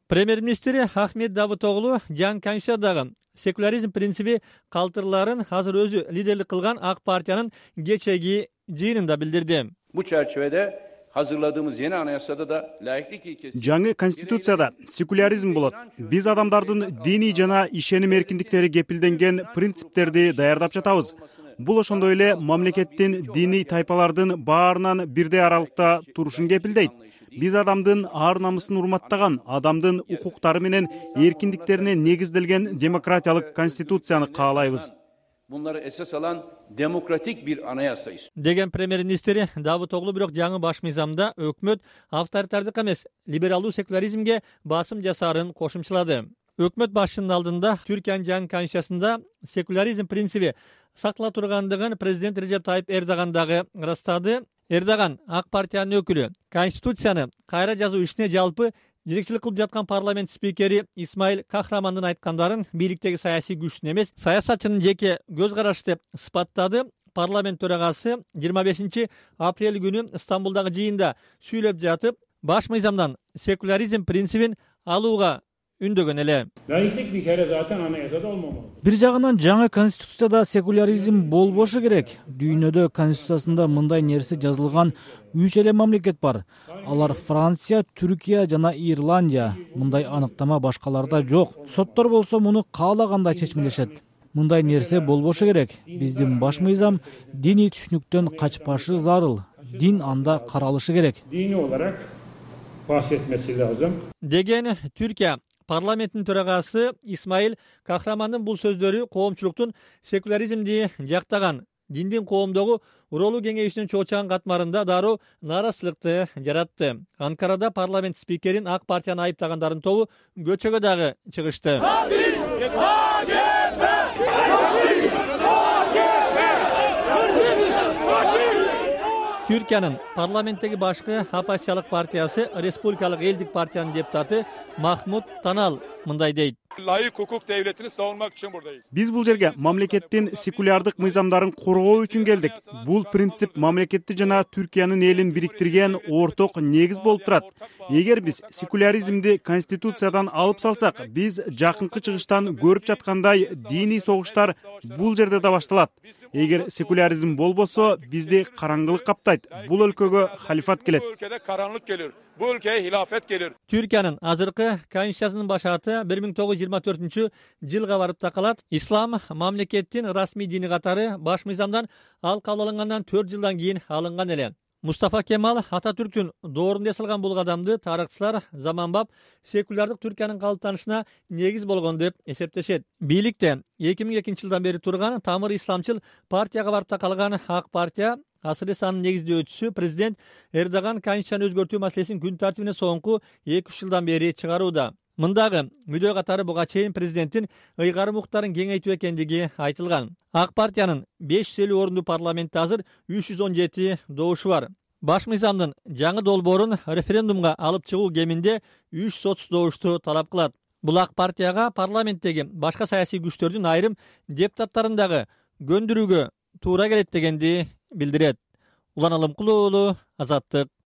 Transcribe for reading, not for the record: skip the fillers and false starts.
Премьер-министр Ахмет Давутоглу жаңы Конституциядагы секуляризм принциби калтырыларын азыр өзү лидерлик кылган ак партиянын кечеги жыйынында билдирди. Bu çerçevede hazırladığımız yeni anayasada da laiklik ilkesi. Жаңы конституцияда секуляризм болот. Биз адамдардын диний жана ишеним эркиндиктери кепилденген принциптерди даярдап жатабыз. Бул ошондой эле мамлекеттин диний тайпалардын баарынан бирдей аралыкта турушун кепилдейт. Биз адамдын ар намысын урматтаган, адамдын укуктары менен эркиндиктерине негизделген демократиялык конституцияны каалайбыз. Bunları esas alan demokratik bir anayasayız. Деген премьер-министр Давутоглу бирок жаңы баш мыйзамда өкмөт авторитардык эмес, либералдуу секуляризмге басым жасаарын кошумчалады. Өкмөт башчынын алдында Түркиянын жаңы конституциясында секуляризм принциби сактала тургандыгын президент Режеп Тайип Эрдоган дагы ырастады. Эрдоган ак партиянын өкүлү конституцияны кайра жазуу ишине жалпы жетекчилик кылып жаткан парламент спикери Исмаил Кахрамандын айткандарын бийликтеги саясий күчтүн эмес, саясатчынын жеке көз карашы деп сыпаттады. Парламент төрагасы 25 апрель күнү Стамбулдагы жыйында сүйлөп жатып, баш мыйзамдан секуляризм принцибин алууга үндөгөн эле. Laiklik bir kere zaten anayasada olmamalı. Бир жагынан жаңы конституцияда секуляризм болбошу керек. Дүйнөдө конституциясында мындай нерсе жазылган 3 эле мамлекет бар. Алар Франция, Түркия жана Ирландия. Мындай аныктама башкаларда жок. Соттор болсо муну каалагандай чечмелешет. Мындай нерсе болбошу керек. Биздин баш мыйзам диний түшүнүктөн качпашы зарыл. Дин анда каралышы керек. Dini olarak bahsetmesi lazım. Деген Түркия парламенттин төрагасы Исмаил Кахрамандын бул сөздөрү коомчулуктун секуляризмди жактаган, диндин коомдогу уролуу кеңешинин чоочаган катмарында дароо нааразычылыкты жаратты. Анкарада парламент спикерин ак партияны айыптагандардын тобу көчөгө дагы чыгышты. Türkiyanın parlamentteki başkı Оппозициялык партиясы Республикалык элдик партиянын депутаты Махмуд Танал мындай дейт. Layık hukuk devletini savunmak için buradayız. Биз бул жерге мамлекеттин секулярдык мыйзамдарын коргоо үчүн келдик. Бул принцип мамлекетти жана Түркиянын элин бириктирген орток негиз болуп турат. Эгер биз секуляризмди конституциядан алып салсак, биз жакынкы чыгыштан көрүп жаткандай диний согуштар бул жерде да башталат. Эгер секуляризм болбосо, бизди караңгылык каптайт. Бул өлкөгө халифат келет. Bu ülkede karanlık gelir. Bu ülkeye hilafet gelir. Türkiyanın azırkı konstitutsiyasынын башаты 1924 жылга барып такалат. Ислам мамлекеттин расмий дини катары баш мыйзамдан ал кабыл алынгандан 4 жылдан кийин алынган эле. Мустафа Кемал Ататүрктүн доорунда ясалган бул кадамды тарыхчылар заманбап секулярдык Түркиянын калыптанышына негиз болгон деп эсептешет. Бийликте 2002 жылдан бери турган тамыр исламчыл партияга барып такалган ак партия Асыр Исанын негиздөөчүсү президент Эрдоган конституцияны өзгөртүү маселесин күн тартибине соңку 2-3 жылдан бери чыгарууда. Мындагы мүдөө катары буга чейин президенттин ыйгарым укуктарын кеңейтүү экендиги айтылган. Ак партиянын 550 орунду парламентте азыр 317 добушу бар. Баш мыйзамдын жаңы долбоорун референдумга алып чыгуу кеминде 3 сотсуз добушту талап кылат. Бул ак партияга парламенттеги башка саясий күчтөрдүн айрым депутаттарын дагы көндүрүүгө туура келет дегенди билдирет. Улан Алымкулуу, Азаттык.